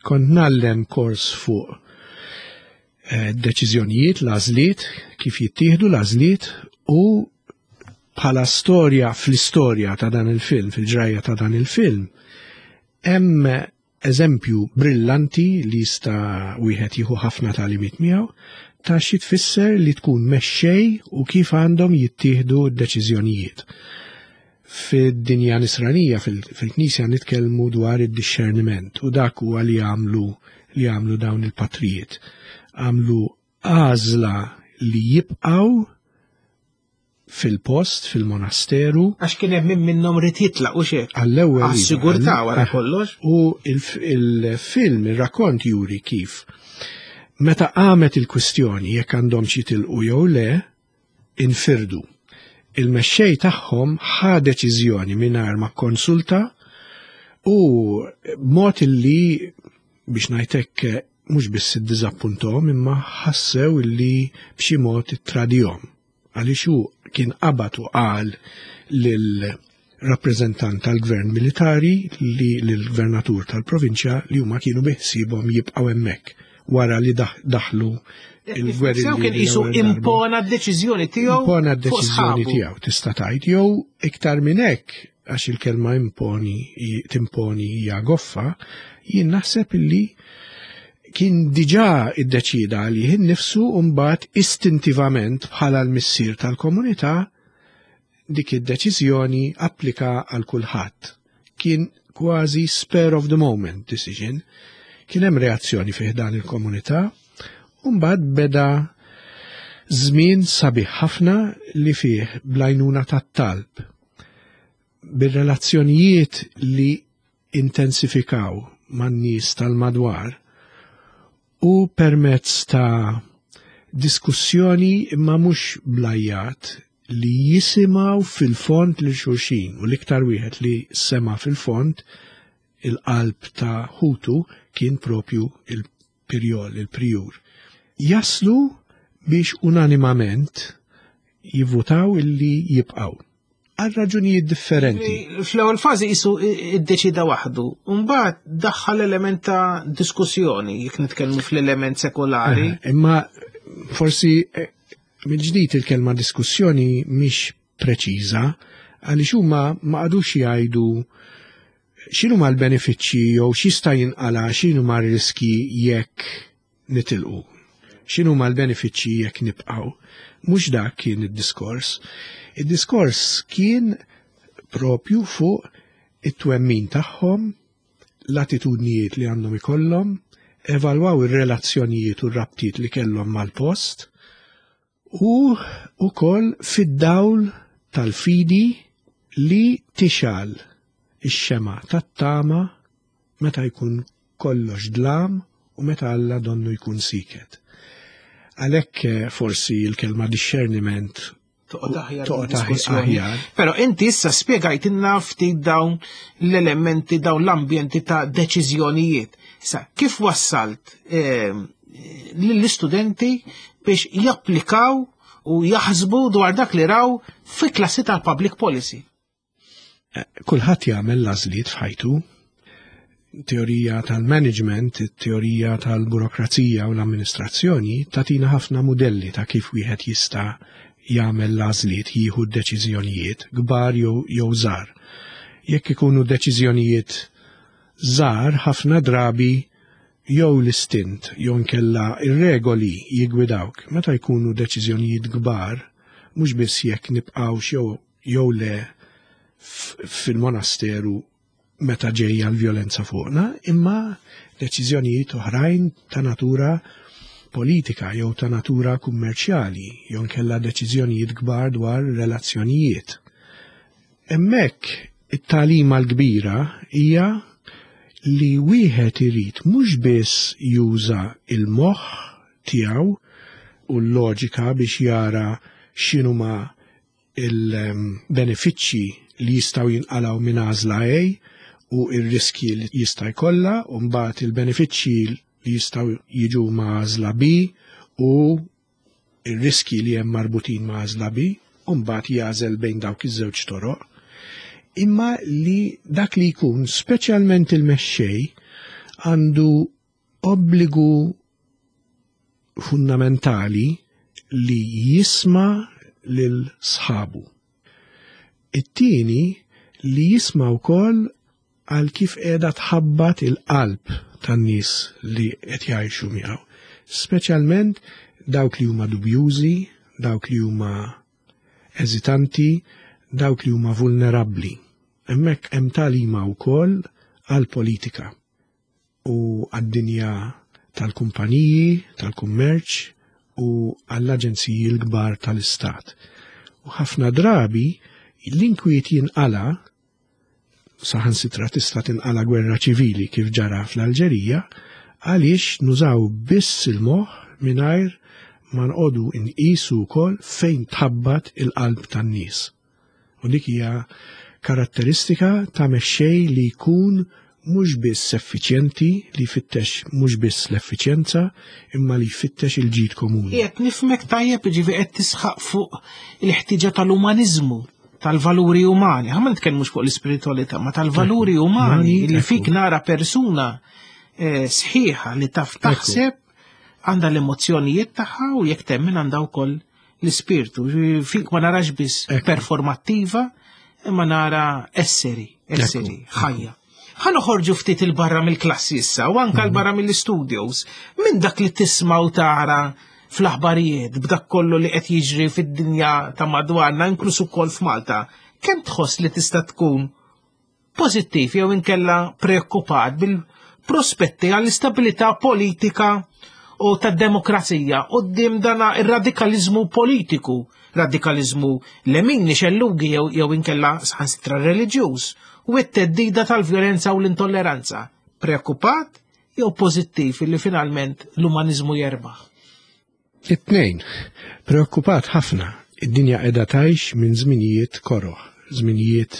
Kont ngħallem kors fuq eh, deċiżjonijiet, l-għażliet, kif jittieħdu l-għażliet u bħala storja fl-istorja ta' dan il-film, fil-ġrajja ta' dan il-film, hemm eżempju brillanti li jista' wieħed jieħu ħafna tagħlimiet miegħu ta' xi tfisser li tkun mexxej u kif għandhom jittieħdu d-deċiżjonijiet. Fid-dinja nisranija, fil-Knisja nitkellmu dwar id-discerniment u dak huwa li għamlu li għamlu dawn il-patrijiet. Għamlu għażla li jibqgħu fil-post, fil-monasteru. Għax kien hemm min minnhom ried jitlaq u xek. Għall-ewwel. iva, Għas-sigurtà wara għall- kollox. U il-film, il-rakkont juri kif meta qamet il-kwistjoni jekk għandhom xi jitilqu jew le, infirdu. Il-mexxej tagħhom ħa deċiżjoni mingħajr ma konsulta u mod illi biex ngħidlek mhux biss iddiżappunthom imma ħassew illi b'xi mod ittradihom. Għaliex hu kien qabad u qal lil rappreżentant tal-gvern militari li lill-gvernatur tal-provinċja li huma kienu biħsibhom jibqgħu hemmhekk wara li daħlu il-gwerri. Sew kien qisu impona d-deċiżjoni tiegħu. Impona d-deċiżjoni tiegħu tista' tgħid jew iktar minn hekk għax il-kelma imponi timponi hija goffa, jien naħseb illi kien diġà iddeċida għalih innifsu u mbagħad istintivament bħala l-missier tal-komunità dik id-deċiżjoni applika għal kulħadd. Kien kważi spur of the moment decision. Kien hemm reazzjoni fih dan il-komunità u mbagħad beda żmien sabiħ ħafna li fih bl-għajnuna tat-talb bir-relazzjonijiet li intensifikaw man-nies tal-madwar u permezz ta' diskussjoni imma mhux bl-għajjat li jisimgħu fil-fond lil xulxin u l-iktar wieħed li sema fil-fond il-qalb ta' ħutu kien propju il-pirjol, il-prijur. Jaslu biex unanimament jivvutaw illi jibqaw. Għal raġunijiet differenti. Fl-ewwel fażi qisu iddeċida waħdu, u mbagħad daħħal element ta' diskussjoni jekk nitkellmu fl-element sekolari. Eh, Imma forsi eh, mill-ġdid il-kelma diskussjoni mhix preċiża għaliex huma ma qagħdux jgħidu x'inhu l-benefiċċji jew x'jista' jinqala x'inhu ma riski jekk nitilqu. X'inhu ma l-benefiċċji jekk nibqgħu. Mhux dak kien id-diskors. Id-diskors kien propju fuq it-twemmin tagħhom, l-attitudnijiet li għandhom ikollhom, evalwaw ir-relazzjonijiet u r-rabtiet li kellhom mal-post u wkoll fid-dawl tal-fidi li tixgħel ix-xemgħa tat-tama meta jkun kollox dlam u meta Alla donnu jkun siket. Għalhekk eh, forsi l-kelma discerniment Toqgħod aħjar toqgħod diskussjoni. aħjar. Però inti issa spjegajtilna ftit dawn l-elementi, dawn l-ambjenti ta' deċiżjonijiet. Issa, kif wassalt eh, lill-istudenti biex japplikaw u jaħsbu dwar dak li raw fi klassi tal-public policy? Kulħadd jagħmel l-għażliet f'ħajtu. Teorija tal-management, teorija tal-burokrazija u l-amministrazzjoni tatina ħafna modelli ta' kif wieħed jista' jagħmel l-għażliet, jieħu d-deċiżjonijiet kbar jew jew żgħar. Jekk ikunu deċiżjonijiet żgħar ħafna drabi jew l-istint jew inkella ir-regoli jigwidawk. Meta jkunu deċiżjonijiet kbar, mhux biss jekk nibqgħux jew jew le f- fil-monasteru meta ġejja l-vjolenza fuqna, imma deċiżjonijiet oħrajn ta' natura politika jew ta' natura kummerċjali, jew nkella deċiżjonijiet kbar dwar relazzjonijiet. Hemmhekk it-tagħlima l-kbira hija li wieħed irid mhux biss juża il-moħħ tiegħu u l-loġika biex jara x'inhuma il-benefiċċji li jistgħu jinqalgħu minn għażla A u ir-riski li jista' jkollha u mbagħad il-benefiċċji li jistgħu jiġu ma' għażla B u ir-riski li hemm marbutin ma' għażla B u mbagħad jagħżel bejn dawk iż-żewġ toroq. Imma li dak li jkun speċjalment il-mexxej għandu obbligu fundamentali li jisma' lil sħabu. It-tieni li jisma' wkoll għal kif qiegħda tħabbat il-qalb tan-nies li qed jgħixu miegħu. Speċjalment dawk li huma dubjużi, dawk li huma eżitanti, dawk li huma vulnerabbli. Hemmhekk hemm tagħlima wkoll għall-politika u għad-dinja tal-kumpaniji, tal-kummerċ u għall-aġenziji l-kbar tal-istat. U ħafna drabi l-inkwiet jinqala saħansitra tista' tinqala gwerra ċivili kif ġara fl-Alġerija għaliex nużaw biss il-moħħ mingħajr ma nqogħdu nqisu wkoll fejn tħabbat il-qalb tan-nies. U dik hija karatteristika ta' mexxej li jkun mhux biss effiċjenti, li jfittex mhux biss l-effiċjenza, imma li jfittex il-ġid komuni. Qed nifhmek tajjeb ġifieri qed tisħaq fuq il-ħtiġa tal-umaniżmu, tal-valuri umani. Ħa ma nitkellmux fuq l-ispiritualità, ma tal-valuri umani Umani, li ekku. fik nara persuna eh, sħiħa li taf taħseb għandha l-emozzjonijiet tagħha u jekk temmen għandha wkoll l-ispirtu. Ġifieri fik ma narax biss Ekku. performattiva, imma nara esseri, esseri, Ekku. ħajja. Ħa noħorġu ftit il-barra mill-klassi issa u anka l-barra mill-studios. Minn dak li tisma' u tara fl-aħbarijiet, b'dak kollu li qed jiġri fid-dinja ta' madwarna, inkluż ukoll f'Malta, kemm tħoss li tista' tkun pożittiv jew inkella preokkupat bil-prospetti għall-istabilità politika u tad-demokrazija quddiem dana ir-radikalizmu politiku, radikalizmu lemini xellugi jew jew inkella saħansitra reliġjuż u t-theddida tal-vjolenza u l-intolleranza. Preokkupat jew pożittiv li finalment l-umanizmu jerbaħ? It-tnejn, preokkupat ħafna. Id-dinja qiegħda tgħix minn żminijiet koroh, żminijiet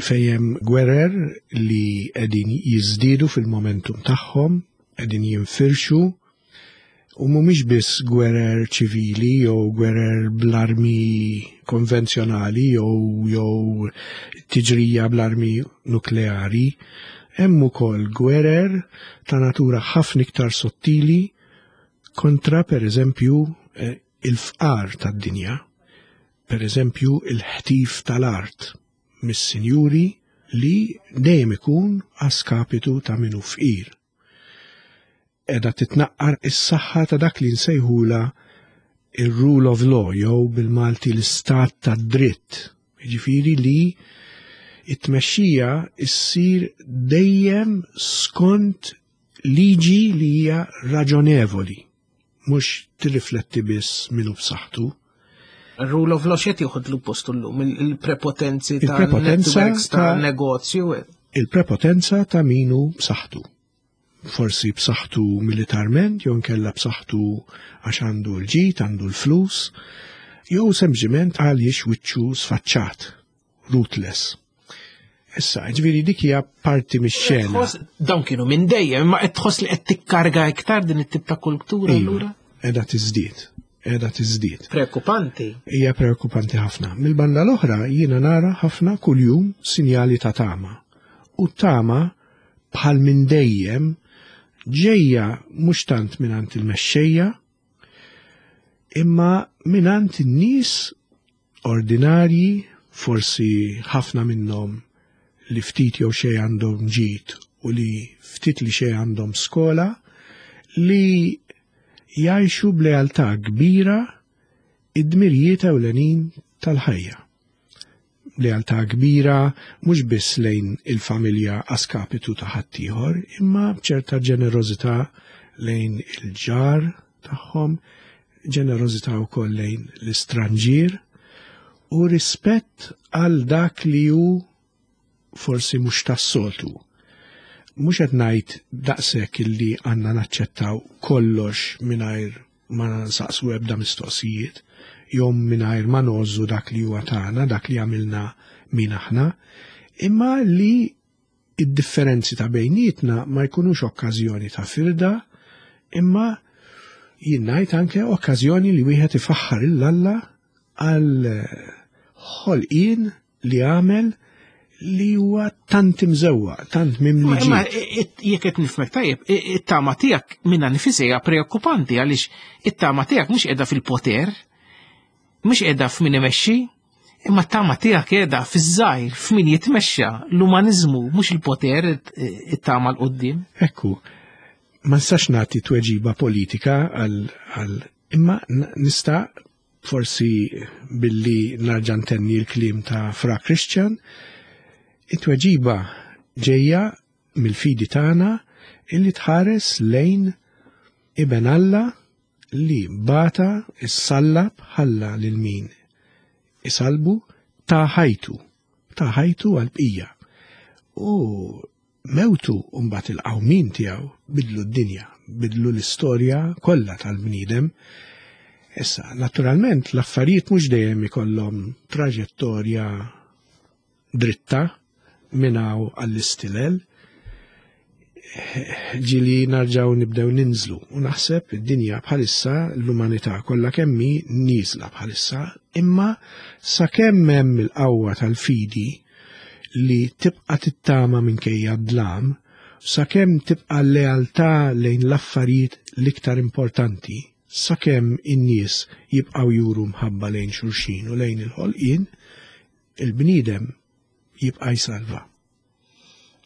fejn hemm gwerer li qegħdin jiżdiedu fil-momentum tagħhom, qegħdin jinfirxu, u mhumiex biss gwerer ċivili jew gwerer bl-armi konvenzjonali jew jew tiġrija bl-armi nukleari, hemm ukoll gwerer ta' natura ħafna iktar sottili kontra per eżempju eh, il-fqar tad-dinja, per eżempju il-ħtif tal-art mis-sinjuri li dejjem ikun għas-skapitu ta' min hu fqir. Qiegħda titnaqqar is-saħħa ta' dak li nsejħula il-rule of law jew bil-Malti l-istat tad dritt. Jiġifieri li it-tmexxija issir dejjem skont Liġi li hija raġonevoli, mhux tirrifletti biss min hu b'saħħtu. Rule of law x'qed joħodlu postu llum, il-prepotenzi ta' Il-prepotenza networks ta' ta' negozju. Il-prepotenza ta' min hu b'saħħtu. Forsi b'saħħtu militarment, jew inkella b'saħħtu għax għandu l-ġid, għandu l-flus, jew sempliċement għaliex wiċċu sfaċċat, ruthless. Issa, ġifieri dik hija parti mix-xena. Tħoss- Dawn kienu minn dejjem, imma qed tħoss li qed tikkarga iktar din it-tip ta' kultura Iva, allura? qiegħda tiżdied, qiegħda tiżdied. Preokkupanti. Hija preokkupanti ħafna. Mill-banda l-oħra jiena nara ħafna kuljum sinjali ta' tama. U tama bħal minn dejjem ġejja mhux tant mingħand il-mexxejja, imma mingħand in-nies ordinarji, forsi ħafna minnhom li ftit jew xejn għandhom ġid u li ftit li xejn għandhom skola, li jgħixu b'lealtà kbira id-dmirijiet ewlenin tal-ħajja. Lealtà kbira mhux biss lejn il-familja a skapitu ta' ħaddieħor, imma b'ċerta ġenerożità lejn il-ġar tagħhom, ġenerożità wkoll lejn l-istranġier u rispett għal dak li hu forsi mhux tas-soltu. Mhux qed ngħid daqshekk illi għandna naċċettaw kollox mingħajr ma nsaqsu ebda mistoqsijiet, jew mingħajr ma ngħożżu dak li huwa tagħna, dak li għamilna min aħna, imma li id-differenzi ta' bejnietna ma jkunux okkażjoni ta' firda, imma jien ngħid anke okkażjoni li wieħed ifaħħar 'l Alla għal ħolqien li għamel li huwa tant imżewwaq, tant mimli Imma ġid. jekk qed nifhmek tajjeb, it-tama tiegħek minnha nfisha hija preokkupanti għaliex it-tama tiegħek mhux qiegħda fil-poter, mhux qiegħda f'min imexxi, imma t-tama tiegħek qiegħda fiż-żgħir, f'min jitmexxa, l-umaniżmu mhux il-poter it-tama 'l quddiem. Ekku, ma nistax nagħti tweġiba politika għal għal imma n- nista' forsi billi narġa' ntenni l-kliem ta' Fra Christian, it-tweġiba ġejja mill-fidi tagħna illi tħares lejn iben Alla li bata issallab ħalla lil min isalbu ta ħajtu, ta ħajtu għal-bqija. U mewtu mbagħad il-qawmin tiegħu bidlu d-dinja, bidlu l-istorja kollha tal-bniedem. Issa, naturalment, l-affarijiet mhux dejjem ikollhom traġettorja dritta minn hawn għall-istilel. Ġieli nerġgħu nibdew ninżlu u naħseb id-dinja bħalissa l-umanità kollha kemm hi nieżla bħalissa, imma sakemm hemm il-qawwa tal-fidi li tibqa' tittama minkejja d-dlam, sakemm tibqa' lealtà lejn l-affarijiet l-iktar importanti, sakemm in-nies jibqgħu juru mħabba lejn xulxin u lejn il-ħolqien, il-bniedem jibqa' jsalva.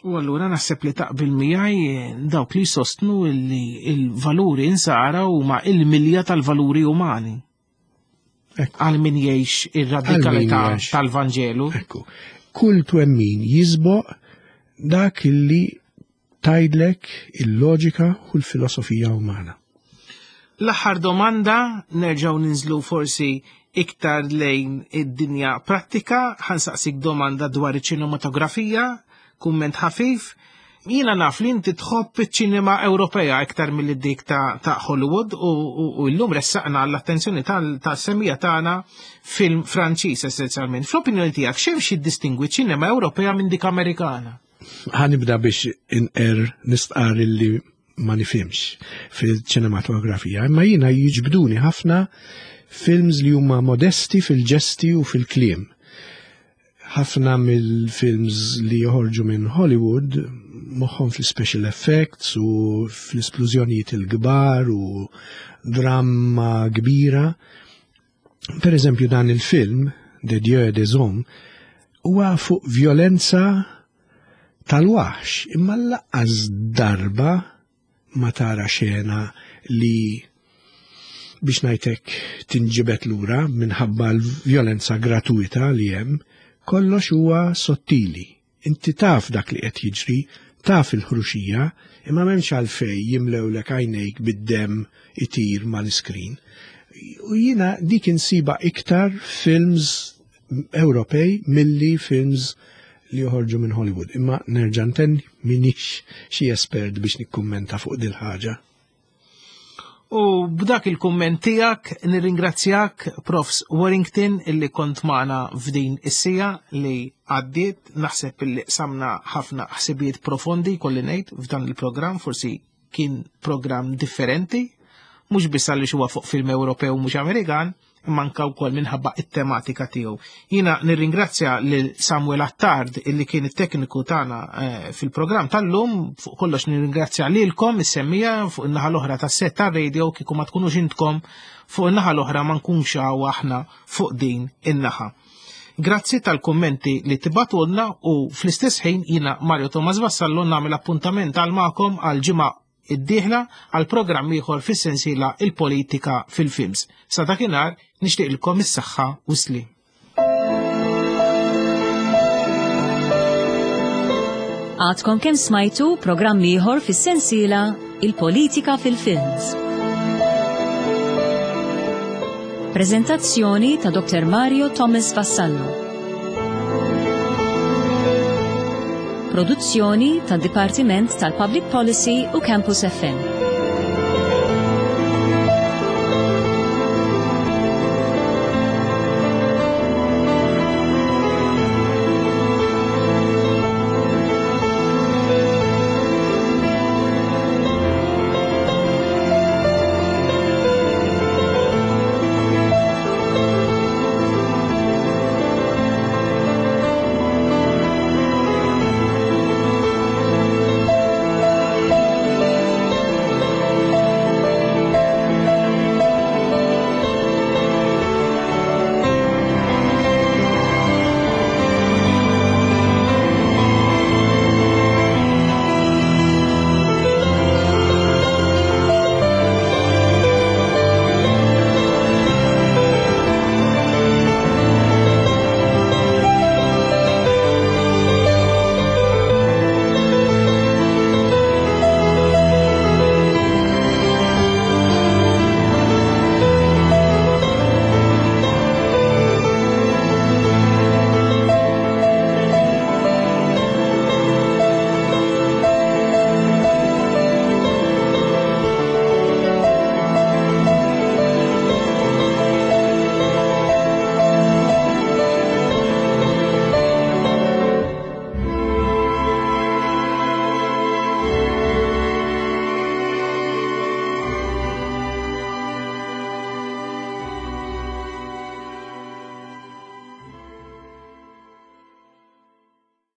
U allura naħseb li taqbil miegħi dawk li sostnu li il-valuri insara huma il-milja tal-valuri umani. Ekku. Għal min jgħix ir-radikalità Għal min jgħix. tal-Vanġelu. Ekku, kull twemmin jisboq dak illi tgħidlek il-loġika u l-filosofija umana. L-aħħar domanda, nerġgħu ninżlu forsi iktar lejn id-dinja prattika, ħa nsaqsik domanda dwar iċ-ċinematografija, kumment ħafif. Jiena naf li inti tħobb iċ-ċinema Ewropea iktar milli dik ta', ta' Hollywood u, u, u llum ressaqna l-attenzjoni tas-semmiegħa tagħna film Franċiż essenzjalment. Fl-opinjoni tiegħek x'hemm xi distingwi ċinema Ewropea minn dik Amerikana? Ħa nibda biex inqer nistqar illi ma nifhimx fil-ċinematografija, imma jiena jiġbduni ħafna films li huma modesti fil-ġesti u fil-kliem. Ħafna mill-films li joħorġu minn Hollywood moħħhom fil-special effects u fl-esplużjonijiet il-kbar u dramma kbira. Per eżempju dan il-film, Des Dieux et des Hommes, huwa fuq violenza tal-waħx, imma lanqas darba ma tara xena li biex ngħidlek tinġibet lura minħabba l-violenza gratuita li hemm, kollox huwa sottili. Inti taf dak li qed jiġri, Taf il-ħruxija, imma m'hemmx għalfejn jimlewlek għajnejk bid-dem itir mal-iskrin. U jiena dik insiba iktar films Ewropej milli films li joħorġu minn Hollywood. Imma nerġa' ntenni, minix xi espert biex nikkummenta fuq dil ħaġa. U b'dak il-kumment tiegħek nirringrazzjak, Profs Warrington, illi kont magħna f'din is-siegħa li għaddiet. Naħseb illi qsamna ħafna ħsibijiet profondi, kolli ngħid, f'dan il-programm. Forsi kien programm differenti, mhux biss għaliex huwa fuq film Ewropew, mhux Amerikan, imma anka wkoll minħabba it-tematika tiegħu. Jiena nirringrazzja lil Samuel Attard, illi kien it-tekniku tagħna eh, fil-programm tal-lum. Fuq kollox nirringrazzja lilkom is-semmiegħa fuq in-naħa l-oħra tas-set tar-radio. Kieku ma tkunux intkom fuq in-naħa l-oħra, ma nkunx hawn aħna fuq din in-naħa. Grazzi tal-kommenti li tibagħtulna u fl-istess ħin jiena, Mario Thomas Vassallo, nagħmel appuntament għal magħkom għal ġimgħa id-dieħla għal programm ieħor fis-sensiela Il-Politika fil-Films. Sa dakinhar nixtieqilkom is-saħħa u sliem. Għadkom kemm smajtu programm ieħor fis-sensiela Il-Politika fil-Films. Prezentazzjoni ta' Doktor Mario Thomas Vassallo. Produzzjoni tad Dipartiment tal-Public Policy u Campus F M.